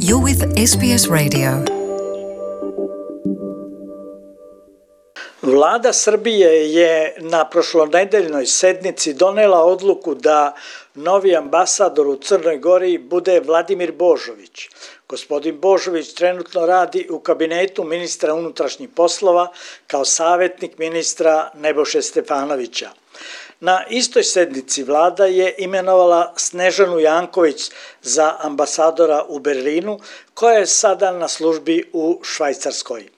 You're with SBS Radio. Vlada Srbije je na prošlonedeljnoj sednici donela odluku da novi ambasador u Crnoj Gori bude Vladimir Božović. Gospodin Božović trenutno radi u kabinetu ministra unutrašnjih poslova kao savjetnik ministra Nebojše Stefanovića. Na istoj sednici vlada je imenovala Snežanu Janković za ambasadora u Berlinu, koja je sada na službi u Švajcarskoj.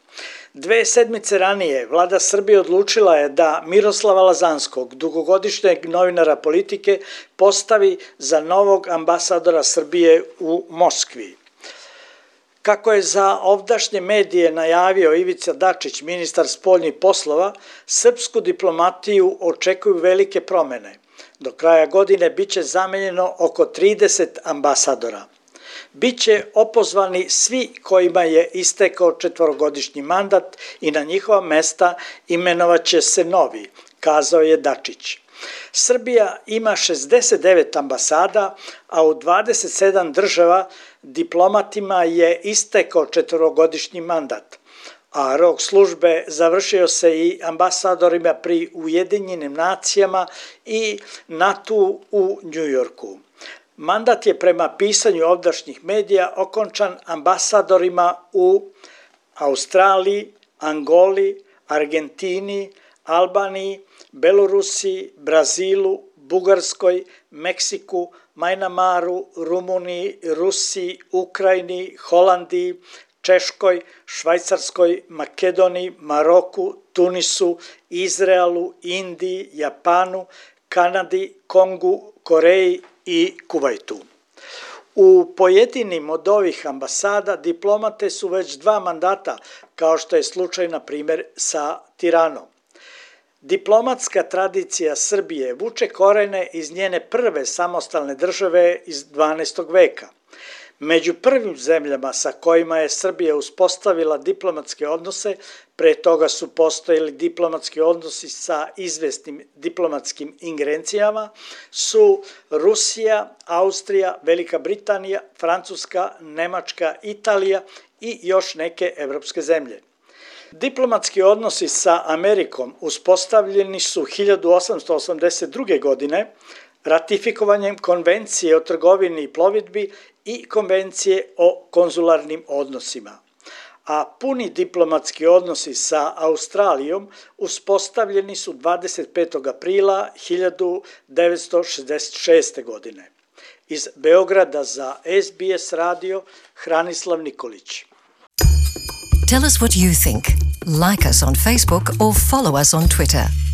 2 sedmice ranije vlada Srbije odlučila je da Miroslava Lazanskog, dugogodišnjeg novinara politike, postavi za novog ambasadora Srbije u Moskvi. Kako je za ovdašnje medije najavio Ivica Dačić, ministar spoljnih poslova, srpsku diplomatiju očekuju velike promene. Do kraja godine biće zamenjeno oko 30 ambasadora. Biće opozvani svi kojima je istekao 4-godišnji mandat i na njihova mesta imenovaće se novi, kazao je Dačić. Srbija ima 69 ambasada, a u 27 država diplomatima je istekao 4-godišnji mandat, a rok službe završio se i ambasadorima pri Ujedinjenim nacijama i NATO u Njujorku. Mandat je prema pisanju ovdašnjih medija okončan ambasadorima u Australiji, Angoli, Argentini, Albaniji, Belorusiji, Brazilu, Bugarskoj, Meksiku, Majnamaru, Rumuniji, Rusiji, Ukrajini, Holandiji, Češkoj, Švajcarskoj, Makedoniji, Maroku, Tunisu, Izraelu, Indiji, Japanu, Kanadi, Kongu, Koreji i Kuvajtu. U pojedinim od ovih ambasada diplomate su već 2 mandata, kao što je slučaj na primjer sa Tiranom. Diplomatska tradicija Srbije vuče korene iz njene prve samostalne države iz 12. veka. Među prvim zemljama sa kojima je Srbija uspostavila diplomatske odnose, pre toga su postojali diplomatski odnosi sa izvesnim diplomatskim ingerencijama, su Rusija, Austrija, Velika Britanija, Francuska, Nemačka, Italija i još neke evropske zemlje. Diplomatski odnosi sa Amerikom uspostavljeni su 1882. godine ratifikovanjem Konvencije o trgovini i plovidbi i Konvencije o konzularnim odnosima. A puni diplomatski odnosi sa Australijom uspostavljeni su 25. aprila 1966. godine. Iz Beograda za SBS radio Hranislav Nikolić. Tell us what you think. Like us on Facebook or follow us on Twitter.